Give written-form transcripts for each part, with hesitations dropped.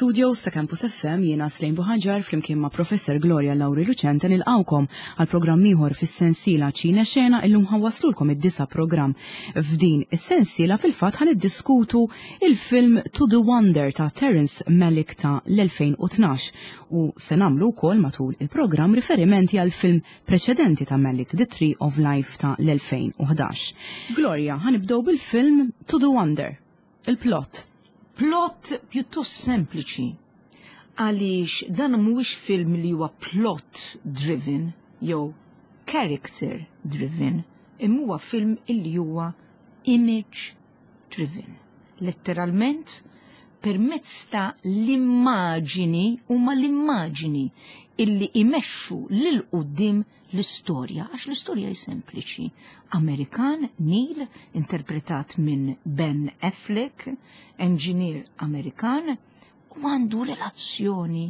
Mill-studios ta' Campus FM jiena Slejn Buħaġar flimkien ma' Professor Gloria Lauri Lucente nilqawkom għal programm ieħor fis-sensiela Ċine Xena illum ħawwaslulkom id-disa programm. F'din is-sensiela fil-fatt ħan iddiskutu il-film To the Wonder ta' Terence Malick ta' l-2012 u se nagħmlu wkoll matul il-programm riferimenti għal film preċedenti ta' Malick The Tree of Life ta' l-2011. Gloria, ħanibdew bil-film To the Wonder. Il-plot. Plot pjuttost sempliċi għaliex dan mhuwiex film li huwa plot driven jew character driven, imma huwa film illi huwa image driven. Letteralment permezz ta' l-immaġini huma l-immaġini illi imexxu lil quddiem l-istorja, għax l-istorja hi sempliċi. Amerikan, Neil, interpretat minn Ben Affleck, enġinier Amerikan, u għandu relazzjoni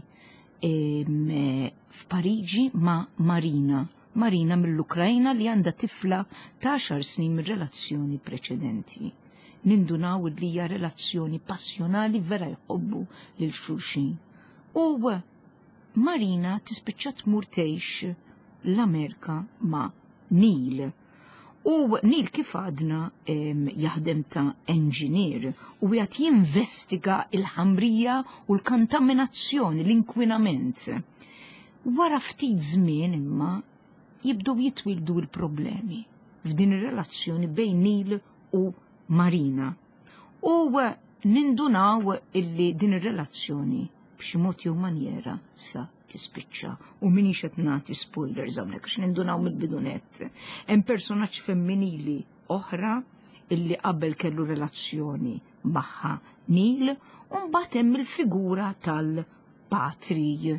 f'Pariġi ma' Marina. Marina mill-Ukrajna li għandha tifla ta' 10 snin minn relazzjoni preċedenti. Nindunaw li hija relazzjoni passjonali vera jħobbu lil xulxin. U Marina tispiċċa tmur tgħix l-Amerika ma' Neil. U Neil kif għadna jaħdem ta' enġinier u jgħat jinvestiga il-ħamrija u l-kontaminazzjoni, l-inkwinament. Wara ftit żmien imma jibdew jitwildu l-problemi f'din ir-relazzjoni bejn Neil u Marina. U nindunaw illi din ir-relazzjoni b'xi mod jew manjera sa tispiċċa. U minix qed nagħti spoilers hawnhekk għax nindunaw mill-bidunett. Hemm personaġġ femminili oħra illi qabel kellu relazzjoni magħha Neil u mbagħad hemm il-figura tal-patri.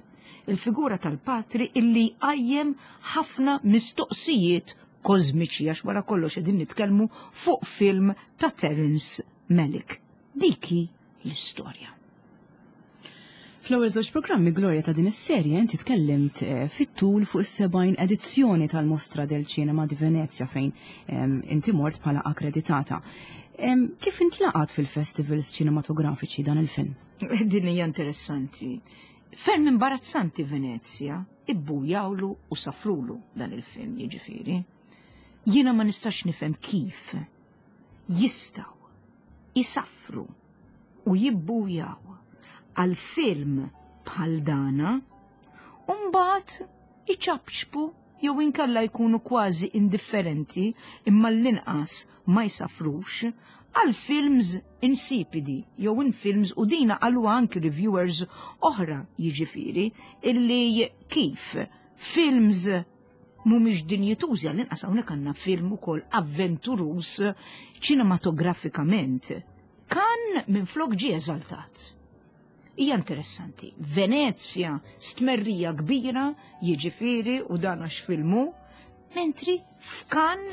Il-figura tal-patri illi jqajjem ħafna mistoqsijiet kożmiċi għax wara kollox qegħdin nitkellmu fuq film ta' Terence Malick. Dik hi l-istorja. Fl-ewwel żewġ programmi Gloria ta' din is-serje inti tkellimt eh, fit-tul fuq is-70 edizzjoni tal-Mostra del Cinema di Venezia fejn ehm, inti mort bħala akkreditata. Ehm, kif intlaqat fil-festivals ċinematografiċi dan il-film? Din hija interessanti. Ferm imbarazzanti Venezia, ibbujawlu u safrulu dan il-film jiġifieri. Jiena ma nistax nifhem kif jistgħu isaffru u jibbujaw għal film bħal dana u mbagħad iċapċpu jew inkella jkunu kważi indifferenti imma l-inqas ma jsafrux għal films insipidi jew in films u dina qalu anki reviewers oħra jiġifieri illi kif films mhumiex dinjitużi għall-inqas hawnhekk għandna film ukoll avventuruż ċinematografikament. Kan minflok ġie eżaltat. Hija interessanti. Venezja stmerrija kbira, jiġifieri u dan għax filmu, mentri f'Kan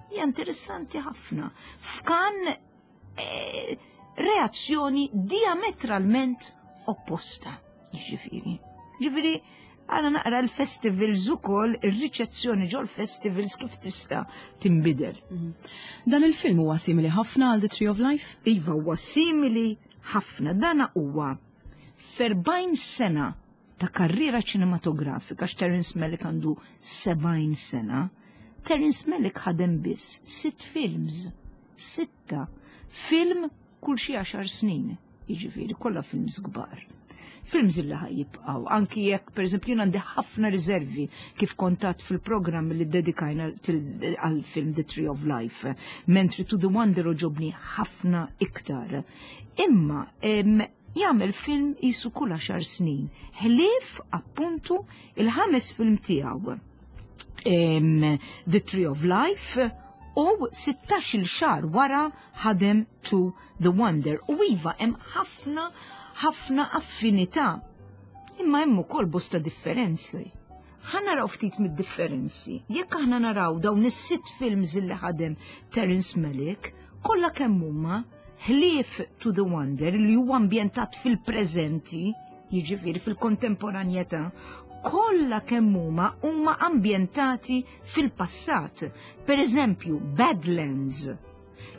hija interessanti ħafna. F'Kan eh, reazzjoni diametralment opposta, jiġifieri. Ġifieri, għana naqra l-festivals ukoll, ir-riċezzjoni ġol festivals kif tista' tinbidel. Mhm. Dan il-film huwa simili ħafna għal The Tree of Life? Iva huwa simili ħafna. Dana huwa ferbajn sena ta' karriera ċinematografika, x'Terence Malick għandu 70 sena, Terence Malick ħadem biss sitt films sitta film kull xi għaxar snin, jiġifieri kollha films kbar. Films illi ħaj jibqgħu, anki jekk pereżempju jien għandi ħafna riservi kif kontat fil-programm li dedikajna għal film The Tree of Life, mentri To the Wonder ġobni ħafna iktar. Imma jagħmel film jisu kull għaxar snin, ħlief appuntu il-ħames film tiegħu. The Tree of Life u 16-il xahar wara ħadem To The Wonder. U iva hemm ħafna ħafna affinità. Imma hemm ukoll bosta differenzi. Ħa naraw ftit mid-differenzi. Jekk aħna naraw dawn is-sitt films li ħadem Terence Malick, kollha kemm huma ħlief To The Wonder li huwa ambjentat fil-preżenti, jiġifieri fil-kontemporanjetà, kollha kemm huma huma ambjentati fil-passat. Per eżempju, Badlands.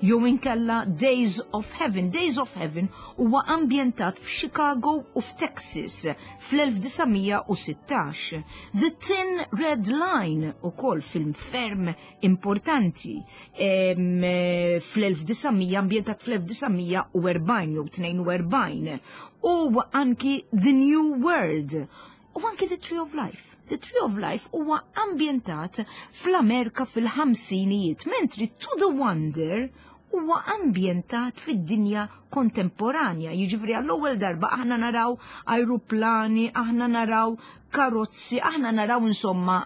Jew inkella Days of Heaven. Days of Heaven huwa ambjentat f'Chicago u f'Texas fl-1916. The Thin Red Line ukoll film ferm importanti fl-1900 ambjentat fl-1940 jew 42 u anki The New World u anki The Tree of Life. The Tree of Life huwa ambjentat fl-Amerika fil-ħamsinijiet, mentri To the Wonder huwa ambjentat fid-dinja kontemporanja. Jiġifieri għall-ewwel darba aħna naraw ajruplani, aħna naraw karozzi, aħna naraw insomma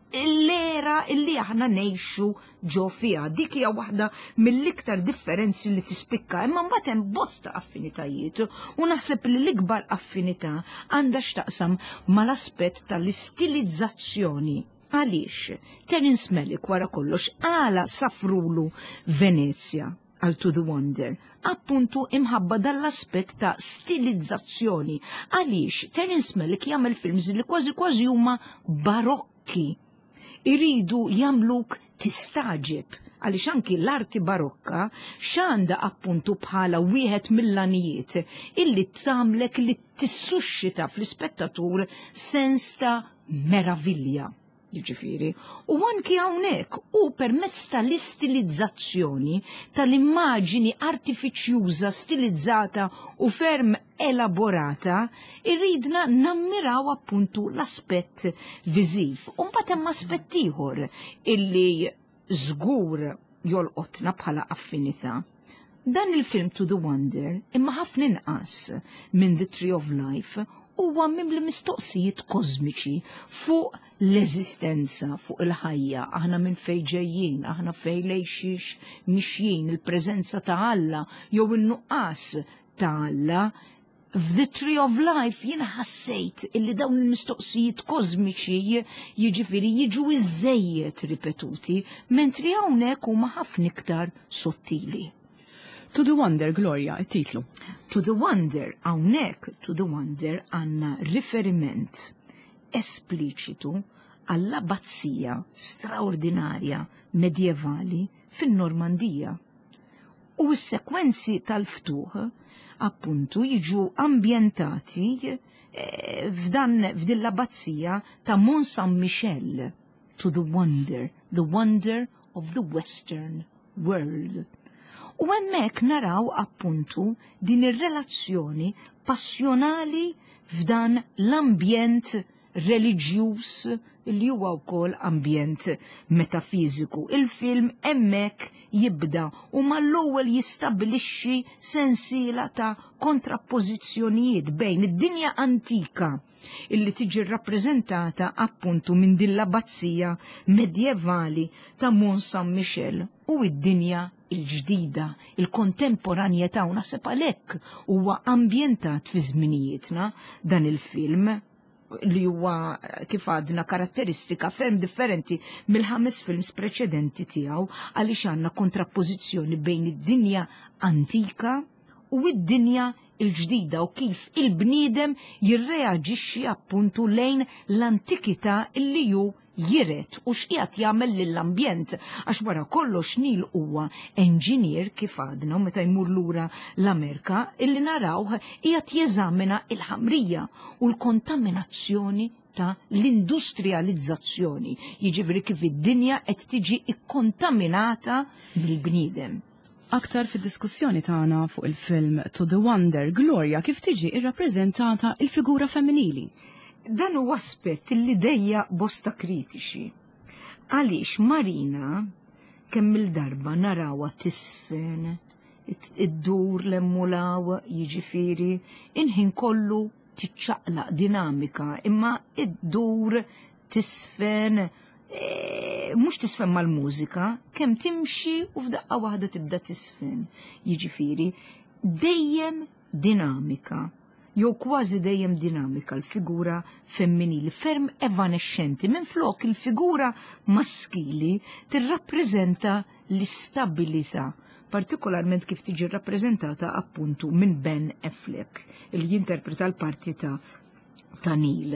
l-era illi aħna ngħixu ġo fiha. Dik hija waħda mill-iktar differenzi li tispikka, imma mbagħad hemm bosta affinitajiet u naħseb li l-ikbar affinità għandha x'taqsam mal-aspett tal-istilizzazzjoni. Għaliex? Terence Malick wara kollox għala safrulu Venezja għal To the Wonder, appuntu imħabba dal-aspett ta' stilizzazzjoni. Għaliex Terence Malick jagħmel films li kważi kważi huma barokki. Iridu jagħmluk tistagħġeb għaliex anki l-arti barokka x'għandha appuntu bħala wieħed mill-għanijiet illi tagħmlek li tissuxxita fl-ispettatur sens ta' meravilja. Jiġifieri, u anki hawnhekk u permezz tal-istilizzazzjoni tal-immaġini artifiċjuża stilizzata u ferm elaborata, irridna nammiraw appuntu l-aspett viżiv. U mbagħad hemm aspett ieħor illi żgur jolqotna bħala affinità. Dan il-film To the Wonder, imma ħafna inqas minn The Tree of Life, huwa mimli mistoqsijiet kosmiċi fuq l-eżistenza, fuq il-ħajja, aħna minn fejn ġejjin, aħna fejn lejn xiex mixjin, il-preżenza ta' Alla jew in-nuqqas ta' Alla. F'The Tree of Life jiena ħassejt illi dawn il-mistoqsijiet kosmiċi jiġifieri jiġu iżżejjed ripetuti, mentri hawnhekk huma ħafna iktar sottili. To the Wonder, Gloria, it-titlu. To the Wonder, hawnhekk To the Wonder għandna riferiment espliċitu għall-abbazija straordinarja medjevali fin-Normandija. U s-sekwenzi tal-ftuħ appuntu jiġu ambjentati f'dan f'din l-abbazija ta' Mont Saint Michel, to the wonder, the wonder of the Western world. U hemmhekk naraw appuntu din ir-relazzjoni passjonali f'dan l-ambjent reliġjuż li huwa wkoll ambjent metafiżiku. Il-film hemmhekk jibda u mal-ewwel jistabbilixxi sensiela ta' kontrappożizzjonijiet bejn id-dinja antika illi tiġi rrappreżentata appuntu minn din l-abbazija medjevali ta' Mont Saint Michel u id-dinja il-ġdida, il-kontemporanjetà, u naħseb għalhekk huwa ambjentat fi żminijietna dan il-film li huwa kif għadna karatteristika ferm differenti mill-ħames films preċedenti tiegħu, għaliex għandna kontrappożizzjoni bejn id-dinja antika u id-dinja il-ġdida u kif il-bniedem jirreaġixxi appuntu lejn l-antikità illi ju jiret u x'qiegħed jagħmel lill-ambjent, għax wara kollox Neil huwa enġinier kif għadna, u meta jmur lura l-Amerika illi narawh qiegħed jeżamina il-ħamrija u l-kontaminazzjoni ta' l-industrializzazzjoni, jiġifieri kif id-dinja qed tiġi ikkontaminata mill-bniedem. Aktar fid-diskussjoni tagħna fuq il-film To the Wonder, Gloria, kif tiġi irrappreżentata il-figura femminili? Dan huwa aspett li dejja bosta kritiċi. Għaliex Marina kemm il-darba narawha tisfen, iddur l-emmulaw, jiġifieri inħin kollu tiċċaqlaq dinamika, imma iddur tisfen, mhux tisfen mal-mużika, kemm timxi u f'daqqa waħda tibda tisfen. Jiġifieri dejjem dinamika, jew kważi dejjem dinamika l-figura femminili, ferm evanexxenti, minflok il-figura maskili tirrappreżenta l-istabilità, partikolarment kif tiġi rappreżentata appuntu minn Ben Affleck, li jinterpreta l-parti ta' Neil.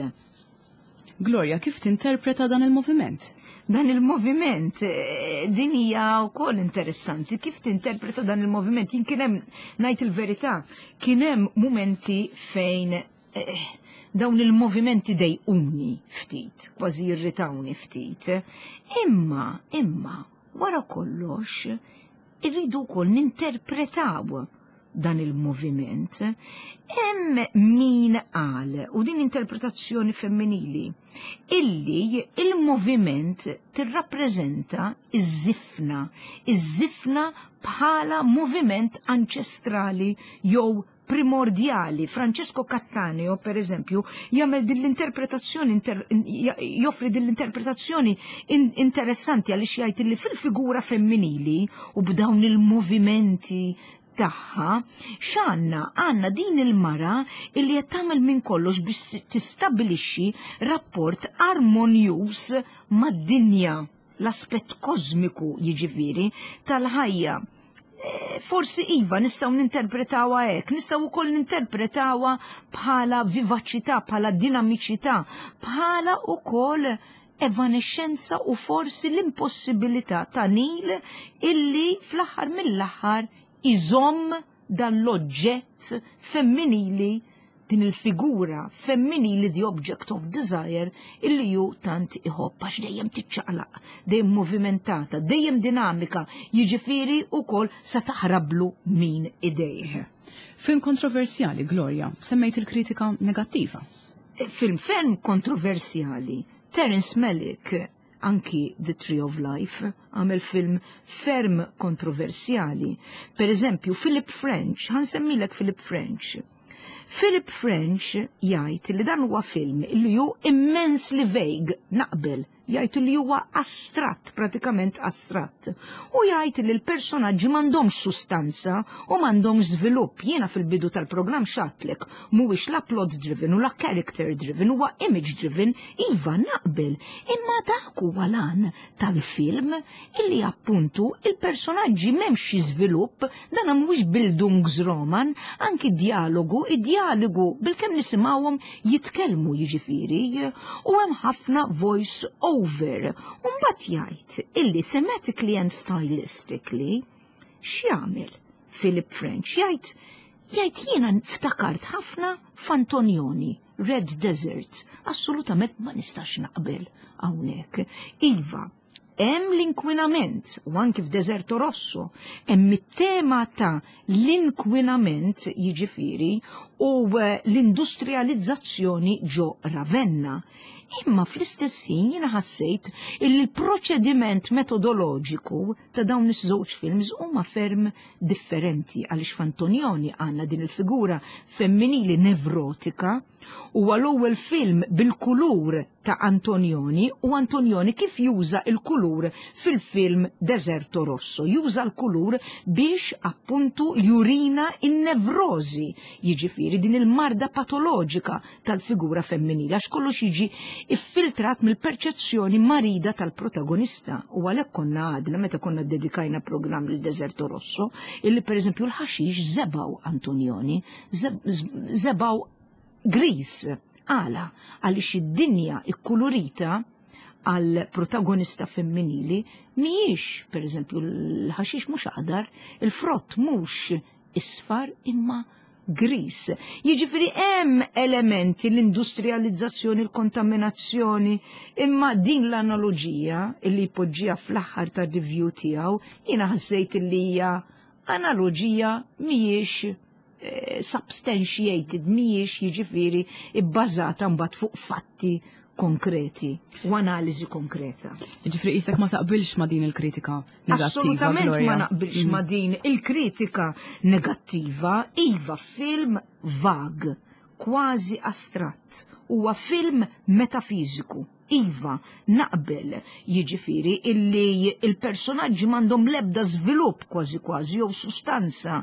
Gloria, kif tinterpreta dan il-moviment? Dan il-moviment, eh, din hija wkoll interessanti, kif tinterpreta dan il-moviment? Jien kien hemm ngħid il-verità, kien hemm mumenti fejn eh, dawn il-movimenti dejquni ftit, kważi jirritawni ftit. Imma, imma, wara kollox, irridu wkoll ninterpretaw dan il-moviment. Hemm min qal, u din interpretazzjoni femminili, illi il-moviment tirrappreżenta iż-żifna, iż-żifna bħala moviment anċestrali jew primordjali. Francesco Cattaneo, per eżempju, jagħmel din l-interpretazzjoni joffri din l-interpretazzjoni interessanti għaliex jgħid li fil-figura femminili u b'dawn il-movimenti tagħha, x'għandna? Għandna din il-mara illi qed tagħmel minn kollox biex tistabbilixxi rapport armonjuż mad-dinja, l-aspett kosmiku jiġifieri tal-ħajja. Eh, forsi iva nistgħu ninterpretawha hekk, nistgħu wkoll ninterpretawha bħala vivaċità, bħala dinamiċità, bħala wkoll evanexxenza u forsi l-impossibilità ta' Nil illi fl-aħħar mill-aħħar iżomm dan l-oġġett femminili din il-figura femminili the object of desire illi ju tant iħobb għax dejjem tiċċaqlaq, dejjem movimentata, dejjem dinamika, jiġifieri wkoll sa taħrablu min idejh. Film kontroversjali, Gloria, semmejt il-kritika negattiva. Eh, film ferm kontroversjali, Terence Malick, anki The Tree of Life, għamel film ferm kontroversjali. Per eżempju, Philip French, ħansemmilek Philip French. Philip French jgħid li dan huwa film li hu immensely vague, naqbel, jgħid li huwa astratt, pratikament astratt. U jgħid li l-personaġġi m'għandhomx sustanza u m'għandhomx żvilupp. Jiena fil-bidu tal-programm xatlek mhuwiex la plot driven u la character driven, huwa image driven, iva naqbel. Imma dak huwa lan tal-film illi appuntu il-personaġġi m'hemmx xi żvilupp, dan mhuwiex Bildungsroman, anki dialogu, id-dialogu bilkemm nisimgħuhom jitkellmu jiġifieri, u hemm ħafna voice over. U mbagħad jgħid illi thematically and stylistically x'jagħmel Philip French jgħid jgħid jiena ftakart ħafna f'Antonioni, Red Desert. Assolutament ma nistax naqbel hawnhekk. Iva, hemm l-inkwinament u anki f'Deserto Rosso hemm it-tema ta' l-inkwinament jiġifieri u eh, l-industrializzazzjoni ġo Ravenna. Imma fl-istess ħin jiena ħassejt il l-proċediment metodoloġiku ta' dawn iż-żewġ films huma ferm differenti għaliex f'Antonioni għandna din il-figura femminili nevrotika huwa l-ewwel film bil-kulur ta' Antonioni u Antonioni kif juża il-kulur fil-film Deserto Rosso. Juża l-kulur biex appuntu jurina in-nevrożi, jiġifieri din il-marda patoloġika tal-figura femminili, għax kollox jiġi iffiltrat mill-perċezzjoni marida tal-protagonista. U għalhekk konna għadna meta konna dedikajna programm lil Deserto Rosso, illi pereżempju l-ħaxix zebaw Antonioni, zebaw gris. Għala, għaliex id-dinja ikkulurita għal protagonista femminili mhijiex, per eżempju, l-ħaxix mhux aħdar, il-frott mhux isfar imma gris. Jiġifieri hemm elementi l-industrializzazzjoni, l-kontaminazzjoni, imma din l-analoġija li jpoġġiha fl-aħħar tar-review tiegħu jiena ħassejt li hija analoġija mhijiex eh, substantiated, mhijiex jiġifieri ibbażata mbagħad fuq fatti konkreti u analiżi konkreta. Ġifri isek ma taqbilx ma din il-kritika negattiva. Assolutament ma naqbilx mm. ma din il-kritika negattiva, iva film vag, kważi astratt, huwa film metafiżiku. Iva, naqbel, jiġifieri illi il-personaġġi m'għandhom l-ebda żvilupp kważi kważi jew sustanza.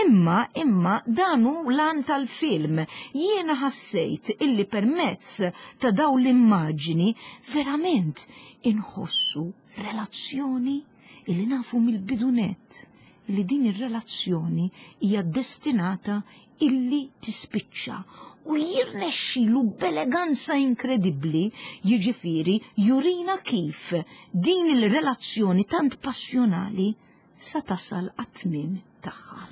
Imma, imma dan hu l-għan tal-film. Jiena ħassejt illi permezz ta' dawn l-immaġini verament inħossu relazzjoni illi nafu mill-bidunett li din ir-relazzjoni hija destinata illi tispiċċa. U jirnexxilu b'eleganza inkredibbli, jiġifieri jurina kif din il-relazzjoni tant passjonali sa tasal għat-tmiem tagħha.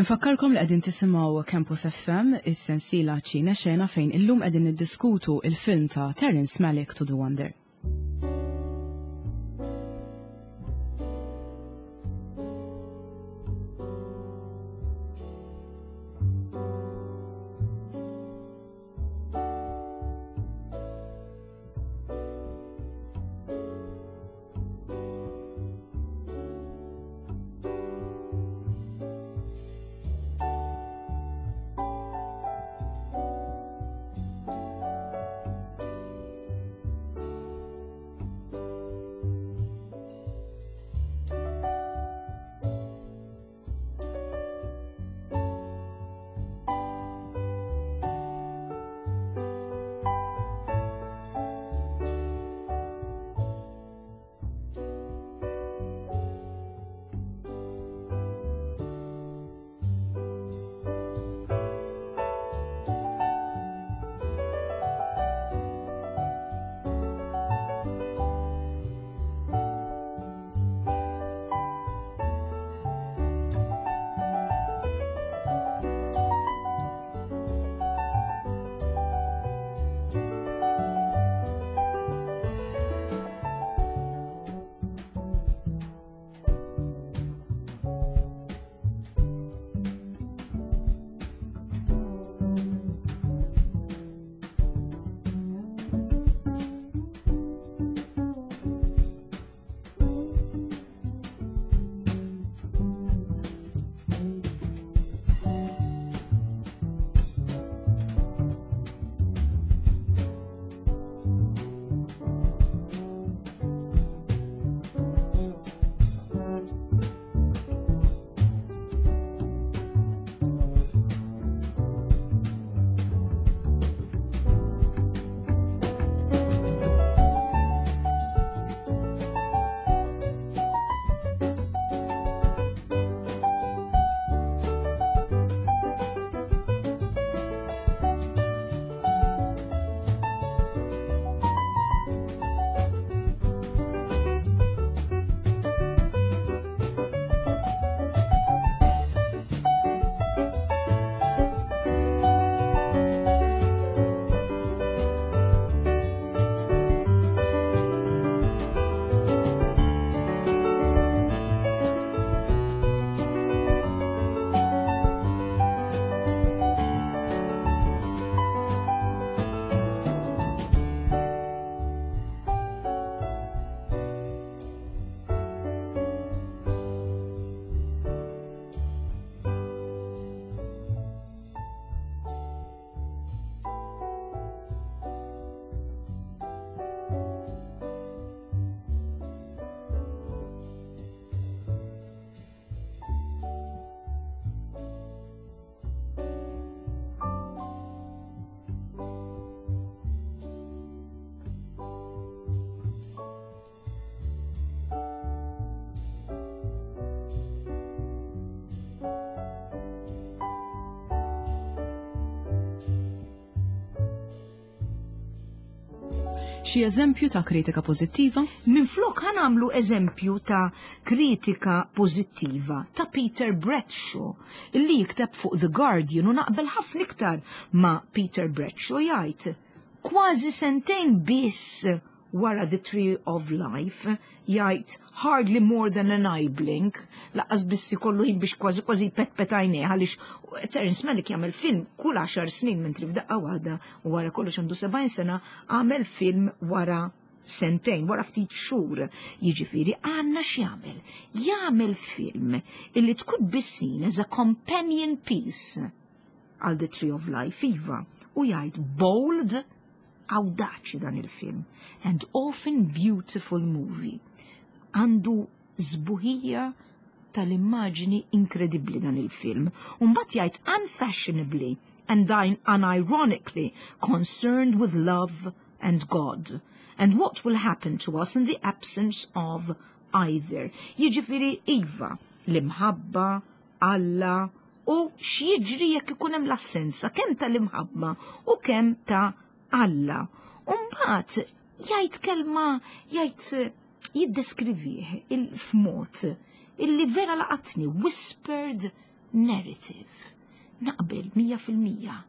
Infakkarkom li qegħdin tisimgħu Campus FM, is-sensiela Ċine Xena fejn illum qegħdin niddiskutu il-film ta' Terence Malick To The Wonder. Xi eżempju ta' kritika pożittiva? Minflok ħa nagħmlu eżempju ta' kritika pożittiva ta' Peter Bradshaw illi jikteb fuq The Guardian u naqbel ħafna iktar ma' Peter Bradshaw jgħid kważi sentejn biss wara The Tree of Life jgħid hardly more than an eye blink, laqqas biss ikollu ħin biex kważi kważi petpet għajnejh għaliex Terence Malick jagħmel film kull 10 snin mentri f'daqqa waħda u wara kollox għandu 70 sena għamel film wara sentejn, wara ftit xhur. Jiġifieri għandna x'jagħmel? Jagħmel film illi tkun be seen as a companion piece għal The Tree of Life, iva, u jgħid bold, awdaċi dan il-film, and often beautiful movie. Għandu sbuħija tal-immaġni inkredibbli dan il-film. Umbat jgħid unfashionably and unironically concerned with love and God and what will happen to us in the absence of either. Jiġifieri iva, l-imħabba, Alla, u x'jiġri jekk ikun hemm l-assenza kemm tal-imħabba u kemm ta' Alla. U mbagħad jgħid kelma jgħid jiddeskrivih f'mod illi vera laqatni whispered narrative. Naqbel 100%.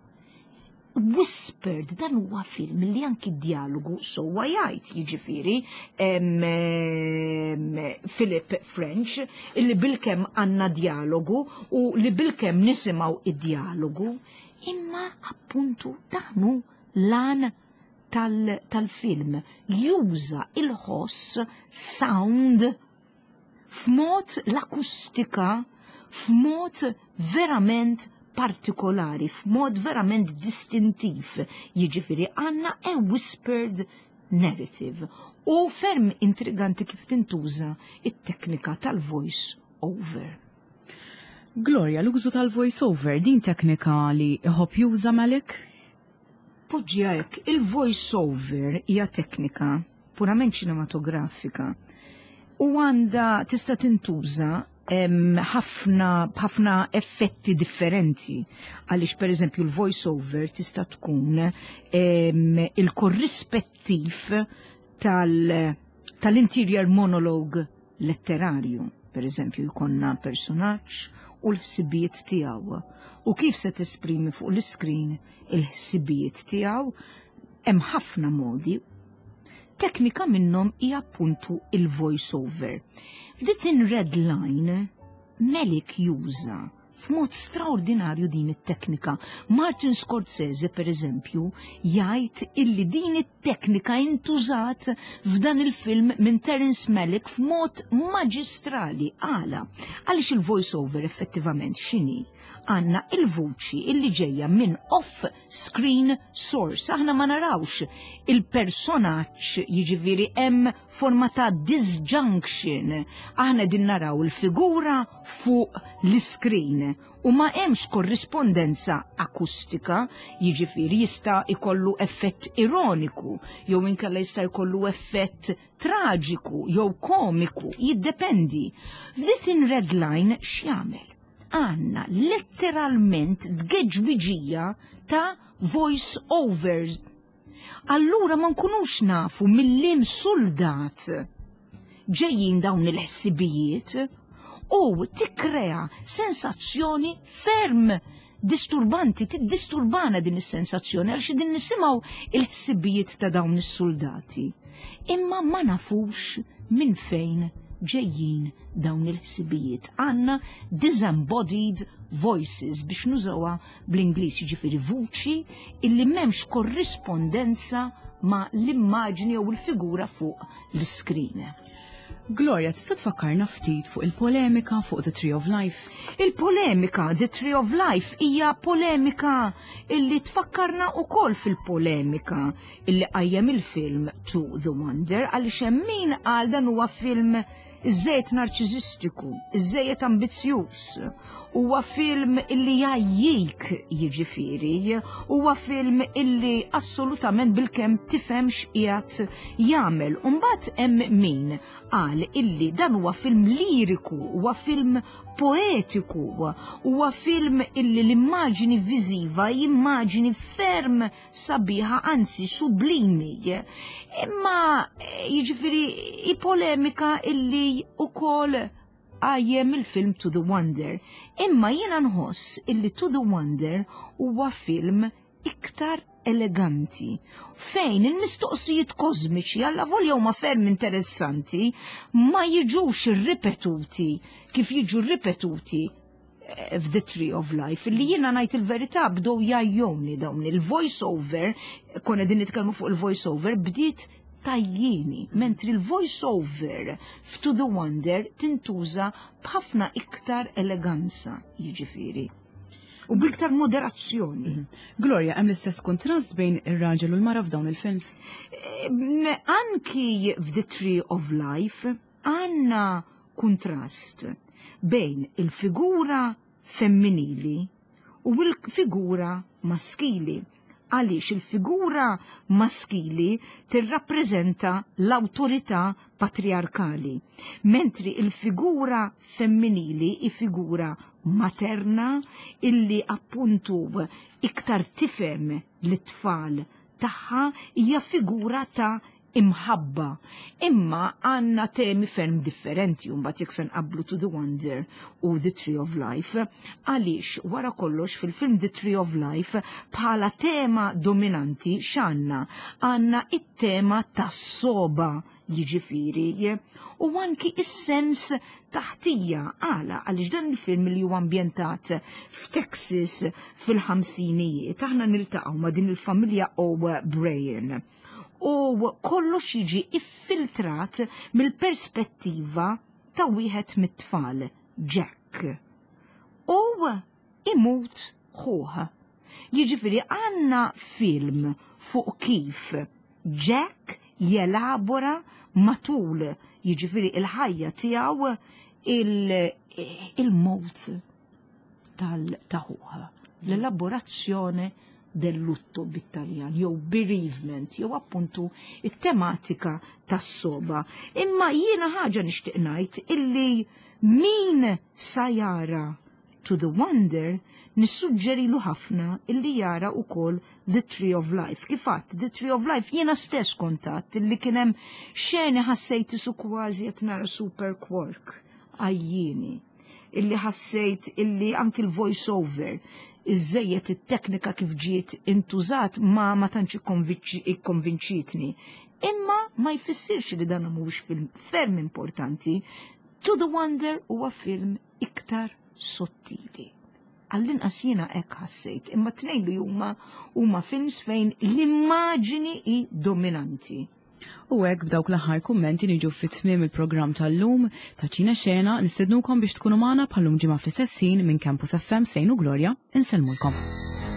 Whispered dan huwa film li anki dialogu sowa jgħid jiġifieri Philip French illi bilkemm għandna dialogu u li bilkemm nisimgħu id-dialogu imma appuntu dan hu lan tal-film juża il-ħoss sound f'mod l-akustika f'mod verament partikolari, f'mod verament distintiv. Jiġifieri għandna a whispered narrative u ferm intriganti kif tintuża it-teknika tal-voice over. Gloria, l-użu tal-voice over din teknika li iħobb juża Malick? Poġġiha hekk, il-voice over hija teknika purament ċinematografika u għandha tista' tintuża ħafna b'ħafna effetti differenti. Għaliex pereżempju l-voice over tista' tkun il-korrispettiv tal-interior monologue letterarju. Per eżempju, jkollna personaġġ u l-ħsibijiet tiegħu u kif se tesprimi fuq l-iskrin il-ħsibijiet tiegħu hemm ħafna modi. Teknika minnhom hija appuntu il-voice over. F'The Thin Red Line, Malick juża f'mod straordinarju din it-teknika. Martin Scorsese, per eżempju, jgħid illi din it-teknika intużat f'dan il-film minn Terence Malick f'mod maġistrali. Għala, għaliex il-voice over effettivament x'inhi? Għandna il-vuċi illi ġejja minn off-screen source. Aħna ma narawx il-personaġġ, jiġifieri hemm forma ta' disjunction. Aħna din naraw il-figura fuq l-screen u ma hemmx korrispondenza akustika, jiġifieri jista' jkollu effett ironiku jew inkella jista' jkollu effett traġiku jew komiku, jiddependi. F'The Thin Red Line x'jagħmel? Għandna letteralment tgeġwiġija ta' voice overs. Allura ma nkunux nafu minn liem soldat ġejjin dawn il-ħsibijiet u tikkrea sensazzjoni ferm disturbanti, tiddisturbana din is-sensazzjoni għaliex din nisimgħu il-ħsibijiet ta' dawn is-soldati. Imma ma nafux minn fejn ġejjin dawn il-ħsibijiet. Għandna disembodied voices biex nużawha bl-Ingliż, jiġifieri vuċi illi m'hemmx korrispondenza ma' l-immaġni jew il-figura fuq l-iskrin. Gloria, tista' tfakkarna ftit fuq il-polemika fuq The Tree of Life? Il-polemika The Tree of Life hija polemika illi tfakkarna ukoll fil-polemika illi qajjem il-film To The Wonder, għaliex hemm min qal dan huwa film iżżejjed narċiżistiku, iżżejjed ambizzjuż. Huwa film illi jgħajjik jiġifieri, huwa film illi assolutament bilkemm tifhem x'qiegħed jagħmel. U mbagħad hemm min qal illi dan huwa film liriku, huwa film poetiku, huwa film illi l-immaġini viżiva immaġini ferm sabiħa, anzi sublimi. Imma jiġifieri i polemika illi ukoll qajjem il-film To The Wonder. Imma jiena nħoss illi To The Wonder huwa film iktar eleganti, fejn il-mistoqsijiet kosmiċi alla volja huma ferm interessanti ma jiġux ripetuti kif jiġu ripetuti f'The Tree of Life, li jiena ngħid il-verità bdew jgħajjewni dawn il-voice over, konna din nitkellmu fuq il-voice over, bdiet tgħajjini, mentri il-voice over f'To The Wonder tintuża b'ħafna iktar eleganza, jiġifieri. U b'iktar moderazzjoni. Gloria, hemm l-istess kontrast bejn ir-raġel u l-mara f'dawn il-films? Anki f'The Tree of Life għandna kontrast bejn il-figura femminili u l-figura maskili. Għaliex il-figura maskili tirrappreżenta l-awtorità patriarkali, mentri il-figura femminili hi figura materna illi appuntu iktar tifhem lit-tfal tagħha hija figura ta' imħabba. Imma għandna temi ferm differenti mbagħad jekk se nqabblu To the Wonder u The Tree of Life. Għaliex wara kollox fil-film The Tree of Life bħala tema dominanti x'għandna? Għandna it-tema tas-soba jiġifieri u anki is-sens taħtija għala għaliex dan il-film li huwa ambjentat f'Texas fil-ħamsinijiet aħna niltaqgħu ma' din il-familja O'Brien u kollox jiġi iffiltrat mill-perspettiva ta' wieħed mit-tfal, Jack. U imut ħuh. Jiġifieri għandna film fuq kif Jack jelabora matul jiġifieri il-ħajja tiegħu il-mowt tal-taħuħa. L-elaborazzjoni del lutto bit-Taljan, jew bereavement, jew appuntu it-tematika tas-soba. Imma jiena ħaġa nixtieq ngħid illi min sa jara To the Wonder nissuġġerilu ħafna illi jara wkoll The Tree of Life. Kif għadt, The Tree of Life jiena stess kontat illi kien hemm xeni ħassejt isu kważi qed nara Super Quark għajjieni illi ħassejt illi anki l-voice over iżejjed it-teknika kif ġiet intużat ma ma tantx ikkonvinċitni. Imma ma jfissirx li dan mhuwiex film ferm importanti. To the Wonder huwa film iktar sottili. Għall-inqas jiena hekk ħassejt, imma tnejn li huma huma films fejn l-immaġini hi dominanti. U hekk b'dawk l-aħħar kummenti niġu fi tmiem il-programm tal-lum ta' Ċine Xena nistednukom biex tkunu magħna bħallum ġimgħa fl-istess ħin minn Campus FM Sejnu Gloria insellmulkom.